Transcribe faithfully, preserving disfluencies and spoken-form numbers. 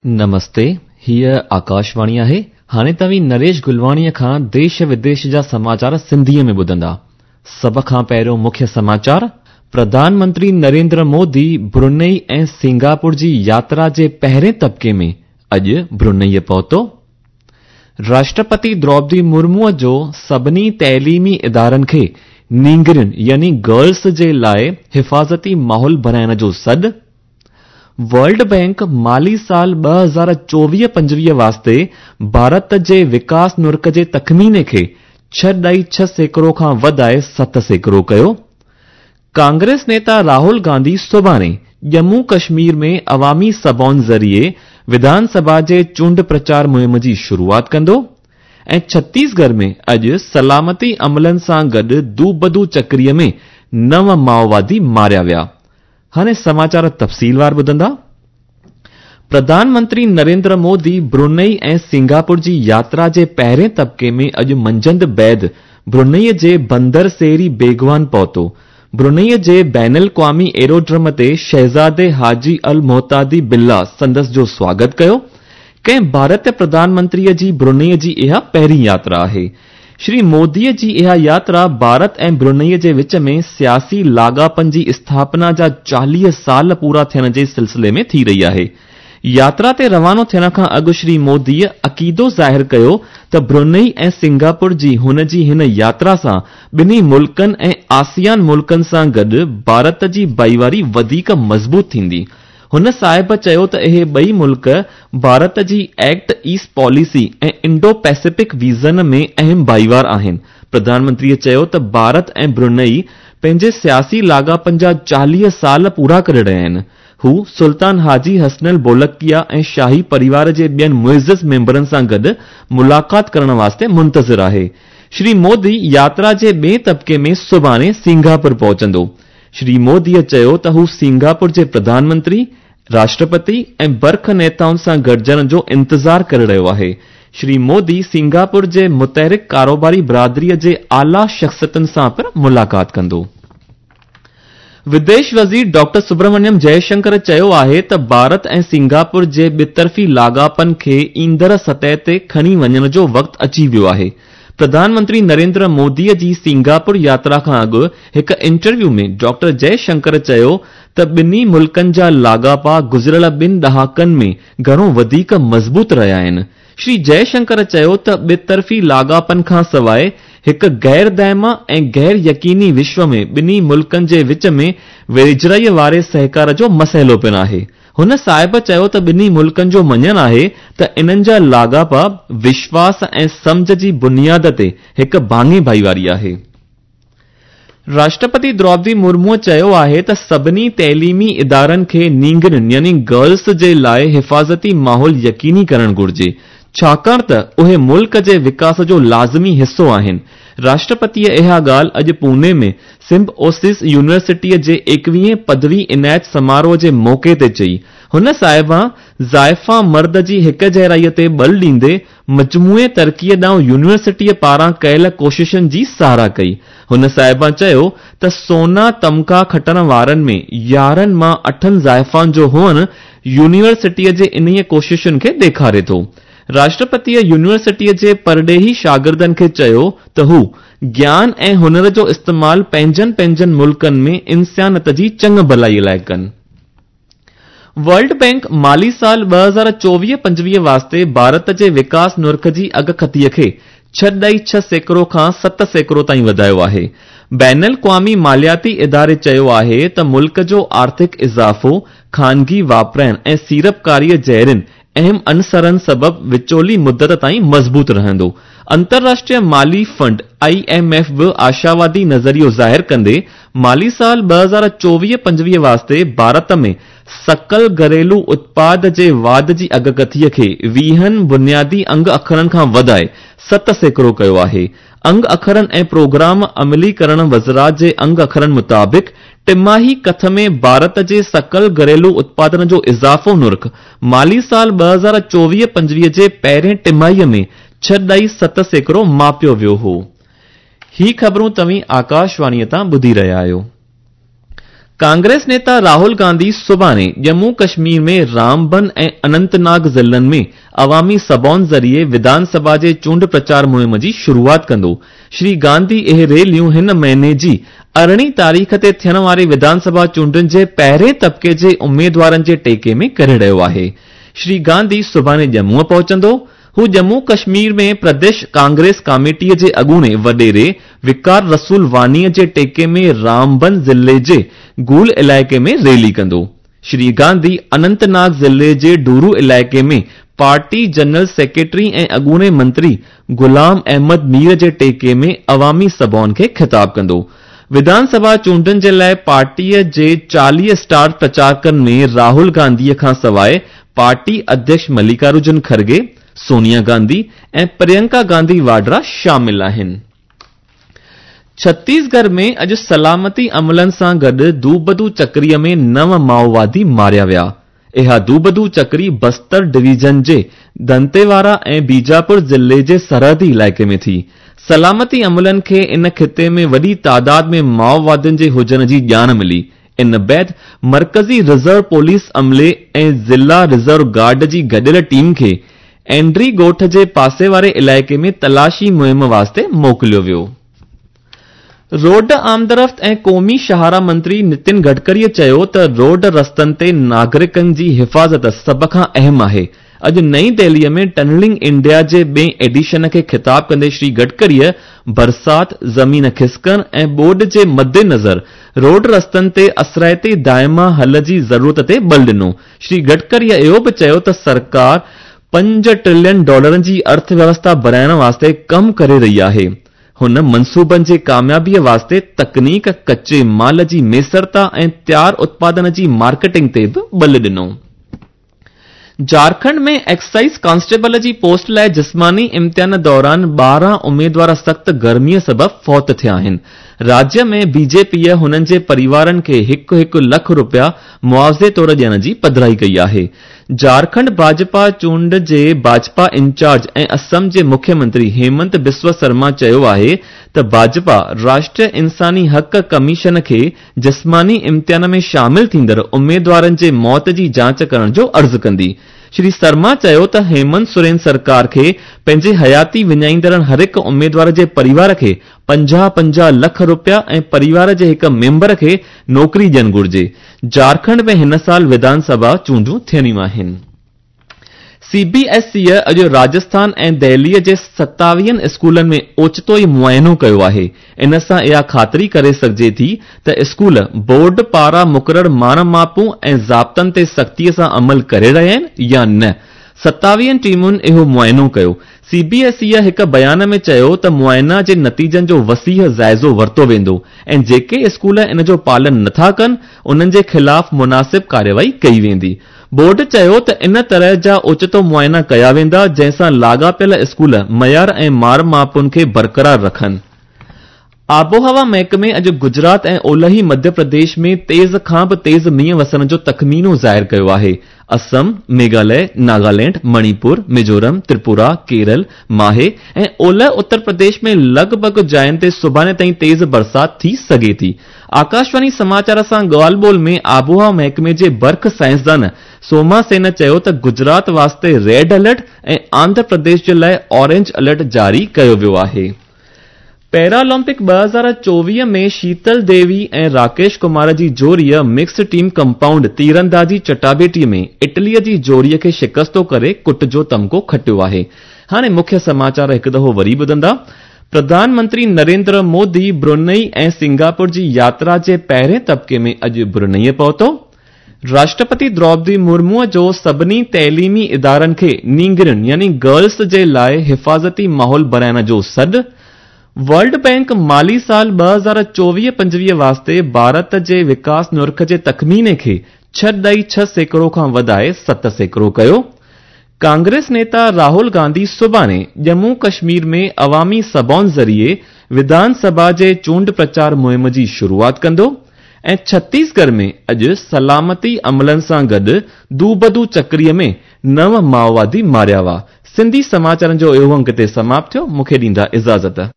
नमस्ते, हीअ आकाशवाणी आहे। हाणे तव्हीं नरेश गुलवाणीअ खां देश विदेश जा समाचार सिंधीअ में ॿुधंदा। सभ खां पहिरियों मुख्य समाचार, प्रधानमंत्री नरेंद्र मोदी ब्रुनेई ऐं सिंगापुर जी यात्रा जे पहिरें तबिके में अॼु ब्रुनेई पहुतो। राष्ट्रपति द्रौपदी मुर्मूअ जो सभिनी तइलीमी इदारनि खे नींगरियुनि यानी गर्ल्स जे लाइ हिफ़ाज़ती माहौल बणाइण जो सॾु। वर्ल्ड बैंक माली साल ॿ हज़ार चोवीह पंजवीह वास्ते भारत जे विकास नुर्क जे तख़मीने खे छह ॾाई छह सैकड़ो खां वधाए सत सैकड़ो कयो। कांग्रेस नेता राहुल गांधी सुभाणे जम्मू कश्मीर में अवामी सभाउनि ज़रिए विधानसभा जे चूंड प्रचार मुहिम जी शुरूआत कंदो। ऐं छत्तीसगढ़ में अॼु सलामती अमलनि सां गॾु दूबदू चक्रीअ में नव माओवादी मारिया विया। हाणे समाचार तफ़सीलवार ॿुधंदा। प्रधानमंत्री नरेंद्र मोदी ब्रुनेई ऐं सिंगापुर जी यात्रा जे पहिरें तबिके में अॼु मंझंदि बैद ब्रुनेई जे बंदर सेरी बेगवान पहुतो। ब्रुनेई जे बैनुल क़वामी एरोड्रम ते शहज़ादे हाजी अल मोहतादी बिल्ला संदसि जो स्वागत कयो। कंहिं भारतीय प्रधानमंत्रीअ जी ब्रुनेई जी इहा पहिरीं यात्रा आहे। श्री मोदीअ जी इहा यात्रा भारत ऐं ब्रुनेई जे विच में सियासी लाॻापनि जी स्थापना जा चालीह साल पूरा थियण जे सिलसिले में थी रही आहे। यात्रा ते रवानो थियण खां अॻु श्री मोदीअ अक़ीदो ज़ाहिर कयो त ब्रुनेई ऐं सिंगापुर जी हुन जी हिन यात्रा सां ॿिन्ही मुल्कनि ऐं आसियान मुल्कनि सां गॾु भारत जी भाईवारी वधीक मज़बूत थींदी। हुन साहिब चयो त इहे ॿई मुल्क भारत जी एक्ट ईस्ट पॉलिसी ऐं इंडो पैसिफिक विजन में अहम भाईवार आहिनि। प्रधानमंत्रीअ चयो त भारत ऐं ब्रुनेई पंहिंजे सियासी लाॻापनि जा चालीह साल पूरा करे रहिया आहिनि। हू सुल्तान हाजी हसनल बोलकिया ऐं शाही परिवार जे ॿियनि मुइज़ मेंबरनि सां गॾु मुलाक़ात करण वास्ते मुंतज़िर आहे। श्री मोदी यात्रा जे ॿिए तबिके में सुभाणे सिंगापुर पहुचंदो। श्री मोदीअ चयो त हू सिंगापुर जे प्रधानमंत्री, राष्ट्रपति ऐं बर्ख नेताउनि सां गॾिजण जो इंतज़ार करे रहियो आहे। श्री मोदी सिंगापुर जे मुतहरिक कारोबारी बिरादरीअ जे आला शख़्सियतुनि सां पिणु मुलाक़ात कंदो। विदेश वज़ीर डॉक्टर सुब्रमण्यम जयशंकर चयो आहे त भारत ऐं सिंगापुर जे ॿितरफ़ी लाॻापनि खे ईंदड़ सतह ते खणी वञण जो वक़्तु अची वियो आहे। प्रधानमंत्री नरेंद्र मोदीअ जी सिंगापुर यात्रा खां अॻु हिकु इंटरव्यू में डॉक्टर जयशंकर चयो त ॿिन्ही मुल्कनि जा लाॻापा गुज़िरियल ॿिनि ॾहाकनि में घणो वधीक मज़बूत रहिया आहिनि। श्री जयशंकर चयो त ॿितरफ़ी लाॻापनि खां सवाइ हिकु गैर दाइमा ऐं गैर यकीनी विश्व में ॿिन्ही मुल्कनि जे विच में वेझड़ाईअ वारे सहकार जो मसइलो पिणु आहे। हुन साहिब चयो त ॿिन्ही मुल्कनि जो मञणु आहे त इन्हनि जा लाॻापा विश्वास ऐं सम्झ जी बुनियाद ते हिकु भाङे भाईवारी आहे। राष्ट्रपति द्रौपदी मुर्मूअ चयो आहे त सभिनी तइलीमी इदारनि खे नींगरियुनि यानी गर्ल्स जे लाइ हिफ़ाज़ती माहौल यकीनी करणु घुर्जे, छाकाणि त उहे मुल्क जे विकास जो लाज़मी हिसो आहिनि। राष्ट्रपतीअ इहा ॻाल्हि अॼु पुणे में सिम्बोसिस यूनिवर्सिटीअ जे एकवीहें पदवी इनायत समारोह जे मौक़े ते चई। हुन साहिबा ज़ाइफ़ा मर्द जी हिक जहिड़ाईअ ते बल ॾींदे मजमूए तरक़ीअ ॾांहुं यूनिवर्सिटीअ पारां कयल कोशिशनि जी सराह कई। हुन साहिबा चयो त सोना तमगा खटण वारनि में यारहं मां अठनि ज़ाइफ़ाउनि जो हुअणु यूनिवर्सिटीअ जे इन्हीअ कोशिशुनि खे ॾेखारे थो। राष्ट्रपतीअ यूनिवर्सिटीअ जे परॾेही शागिर्दनि खे चयो त हू ज्ञान ऐं हुनर जो इस्तेमालु पंहिंजनि पंहिंजनि मुल्कनि में इंसानियत जी चङु भलाईअ लाइ कनि। वर्ल्ड बैंक माली साल ॿ हज़ार चोवीह पंजवीह वास्ते भारत जे विकास नुर्ख जी अॻकथीअ खे छह ॾाई छह सैकड़ो खां सत सैकड़ो ताईं वधायो आहे। बैनुल क़वामी मालियाती इदारे चयो आहे त मुल्क जो आर्थिक इज़ाफ़ो ख़ानगी वापराइण ऐं सीड़पकारीअ जहिड़नि अहम अंसरनि सबबु विचोली मुदत ताईं मज़बूत रहंदो। अंतर्राष्ट्रीय माली फंड I am F बि आशावादी नज़रियो ज़ाहिर कंदे माली साल ॿ हज़ार चोवीह पंजवीह वास्ते भारत में सकल घरेलू उत्पाद जे वाध जी अॻकथीअ खे वीहनि बुनियादी अंग अखरनि खां वधाए सत सैकड़ो कयो आहे। अंग अखरनि ऐं प्रोग्राम अमलीकरण वज़रात जे अंग अखरनि मुताबिक़ टिमाही कथ में भारत जे सकल घरेलू उत्पादन जो इज़ाफ़ो नुर्ख माली साल ॿ हज़ार चोवीह पंजवीह जे पहिरें टिमाहीअ में छह ॾाई सत सैकड़ो मापियो वियो हो। ही ख़बरूं तव्हीं आकाशवाणीअ तां ॿुधी रहिया आहियो। कांग्रेस नेता राहुल गांधी सुभाणे जम्मू कश्मीर में रामबन ऐं अनंतनाग ज़िलनि में अवामी सभाउनि ज़रिए विधानसभा जे चूंड प्रचार मुहिम जी शुरूआत कंदो। श्री गांधी इहे रैलियूं हिन महीने जी अरिड़हीं तारीख़ ते थियण वारी विधानसभा चूंडुनि जे पहिरें तबिके जे उम्मीदवारनि जे टेके में करे रहियो आहे। श्री गांधी सुभाणे जम्मूअ पहुचंदो। हू जम्मू कश्मीर में प्रदेश कांग्रेस कमेटीअ जे अॻूणे वॾेरे विकार रसूल वानीअ जे टेके में रामबन ज़िले जे गूल इलाइक़े में रैली कंदो। श्री गांधी अनंतनाग ज़िले जे डूरू इलाइक़े में पार्टी जनरल सेक्रेटरी ऐं अॻूणे मंत्री गुलाम अहमद मीर जे टेके में अवामी सभाउनि खे ख़िताब कंदो। विधानसभा चूंडुनि जे लाइ पार्टीअ जे चालीह स्टार प्रचारकनि में राहुल गांधीअ खां सवाइ पार्टी अध्यक्ष मल्लिकार्जुन खड़गे, सोनिया गांधी ऐं प्रियंका गांधी वाड्रा शामिल आहिनि। छत्तीसगढ़ में अॼु सलामती अमलनि सां गॾु दूबदू चक्रीअ में नव माओवादी मारिया विया। इहा दूबदू चक्री बस्तर डिवीजन जे दंतेवाड़ा ऐं बीजापुर ज़िले जे सरहदी इलाइक़े में थी। सलामती अमलनि खे इन खिते में वॾी तादाद में माओवादियुनि जे हुजण जी ॼाण मिली। इन बाद मरकज़ी रिज़र्व पुलिस अमले ऐं ज़िला रिज़र्व गार्ड जी गॾियल टीम खे एंड्री ॻोठ जे पासे वारे इलाइक़े में तलाशी मुहिम वास्ते मोकिलियो वियो। रोड आमदरफ़्त ऐं क़ौमी शाहरा मंत्री नितिन गडकरीअ चयो त रोड रस्तनि ते नागरिकनि जी हिफ़ाज़त सभ खां अहम आहे। अॼु नई दिल्लीअ में टनलिंग इंडिया जे ॿिए एडिशन खे ख़िताब कंदे श्री गडकरीअ बरसात, ज़मीन खिसकण ऐं ॿोॾ जे मद्देनज़र रोड रस्तनि ते असराइते दाइमा हल जी ज़रूरत ते बल ॾिनो। श्री गडकरीअ इहो बि चयो त सरकार पंज ट्रिलियन डॉलरनि जी अर्थव्यवस्था बणाइण वास्ते कमु करे रही आहे। हुन मनसूबनि जे कामयाबीअ वास्ते तकनीक, कच्चे माल जी मैसरता ऐं तयार उत्पादन जी मार्केटिंग ते बि बल ॾिनो। झारखंड में एक्साइज कांस्टेबल जी पोस्ट लाइ जिस्मानी इम्तिहान दौरान ॿारहं उम्मीदवार सख़्तु गर्मीअ सबबि फौत थिया आहिनि। राज्य में बीजेपीअ हुननि जे परिवारनि खे हिकु हिकु लख रुपया मुआवज़े तौर ॾियण जी पधराई कई आहे। झारखंड भाजपा चूंड जे भाजपा इंचार्ज ऐं असम जे मुख्यमंत्री हेमंत बिस्व शर्मा चयो आहे त भाजपा राष्ट्रीय इंसानी हक़ कमीशन खे जिस्मानी इम्तिहान में शामिल थींदड़ उम्मीदवारनि जे मौत जी जांच करण जो अर्ज़ु कंदी। श्री शर्मा चयो त हेमंत सोरेन सरकार खे पंहिंजी हयाती विञाईंदड़ हर हिकु उम्मीदवार जे परिवार खे पंजाह पंजाह लख रुपया ऐं परिवार जे हिकु मेंबर खे नौकिरी ॾियणु घुरिजे। झारखंड में हिन साल विधानसभा चूंडूं थियणियूं आहिनि। सीबीएसई अॼु राजस्थान ऐं दिल्लीअ जे सतावीहनि स्कूलनि में ओचितो ई मुआइनो कयो आहे। इन सां इहा ख़ातिरी करे सघिजे थी त स्कूल बोर्ड पारां मुक़ररु माण मापूं ऐं ज़ाब्तनि ते सख़्तीअ सां अमल करे रहिया आहिनि या न। सतावीहनि टीमुनि इहो मुआइनो कयो। सीबीएसई हिकु बयान में चयो त मुआइना जे नतीजनि जो वसीह जाइज़ो वरितो वेंदो ऐं जेके स्कूल इन जो पालन नथा कनि उन्हनि जे ख़िलाफ़ मुनासिब कार्रवाई कई वेंदी। बोर्ड चयो त इन तरह जा ओचितो मुआइना कया वेंदा जंहिंसां लाॻापियल स्कूल मयार ऐं मार मापुनि खे बरक़रार रखनि। आबोहवा महकमे अॼु गुजरात ऐं ओलही मध्य प्रदेश में तेज़ खां बि तेज़ मींहुं वसण जो तख़मीनो ज़ाहिर कयो आहे। असम, मेघालय, नागालैंड, मणिपुर, मिज़ोरम, त्रिपुरा, केरल, माहे ऐं ओलह उत्तर प्रदेश में लॻभॻ जायुनि ते सुभाणे ताईं तेज़ बरसात थी सघे थी। आकाशवाणी समाचार सां ॻाल्हि ॿोल में आबोहवा महकमे जे बर्ख साइंसदान सोमा सेन चयो त गुजरात वास्ते रेड अलर्ट ऐं आंध्र प्रदेश जे लाइ ऑरेंज अलर्ट जारी कयो वियो आहे। पैरालंपिक ॿ हज़ार चोवीह में शीतल देवी ऐं Rakesh Kumar ji जोड़ीअ mixed team compound तीरंदाजी चटाबेटीअ में इटलीअ जी जोड़ीअ खे शिकस्तो करे कुट जो तमगो खटियो आहे। हाणे मुख्य समाचार हिकु दफ़ो वरी ॿुधंदा। प्रधानमंत्री नरेंद्र मोदी ब्रुनई ऐं सिंगापुर जी यात्रा जे पहिरें तबिके में अॼु ब्रुनईअ पहुतो। राष्ट्रपति द्रौपदी मुर्मूअ जो सभिनी तइलीमी इदारनि खे नींगरियुनि यानी गर्ल्स जे लाइ हिफ़ाज़ती माहौल बणाइण जो सॾु। वर्ल्ड बैंक माली साल ॿ हज़ार चोवीह पंजवीह वास्ते भारत जे विकास नुर्ख जे तख़मीने खे छह ॾाई छह सैकड़ो खां वधाए सत सैकड़ो कयो। कांग्रेस नेता राहुल गांधी सुभाणे जम्मू कश्मीर में अवामी सभाउनि ज़रिए विधानसभा जे चूंड प्रचार मुहिम जी शुरूआत कंदो। ऐं छत्तीसगढ़ में अॼु सलामती अमलनि सां गॾु दूबदू चक्रीअ में नव माओवादी मारिया हुआ। सिंधी समाचारनि जो इहो अंक हिते समाप्त थियो। मूंखे ॾींदा इजाज़त।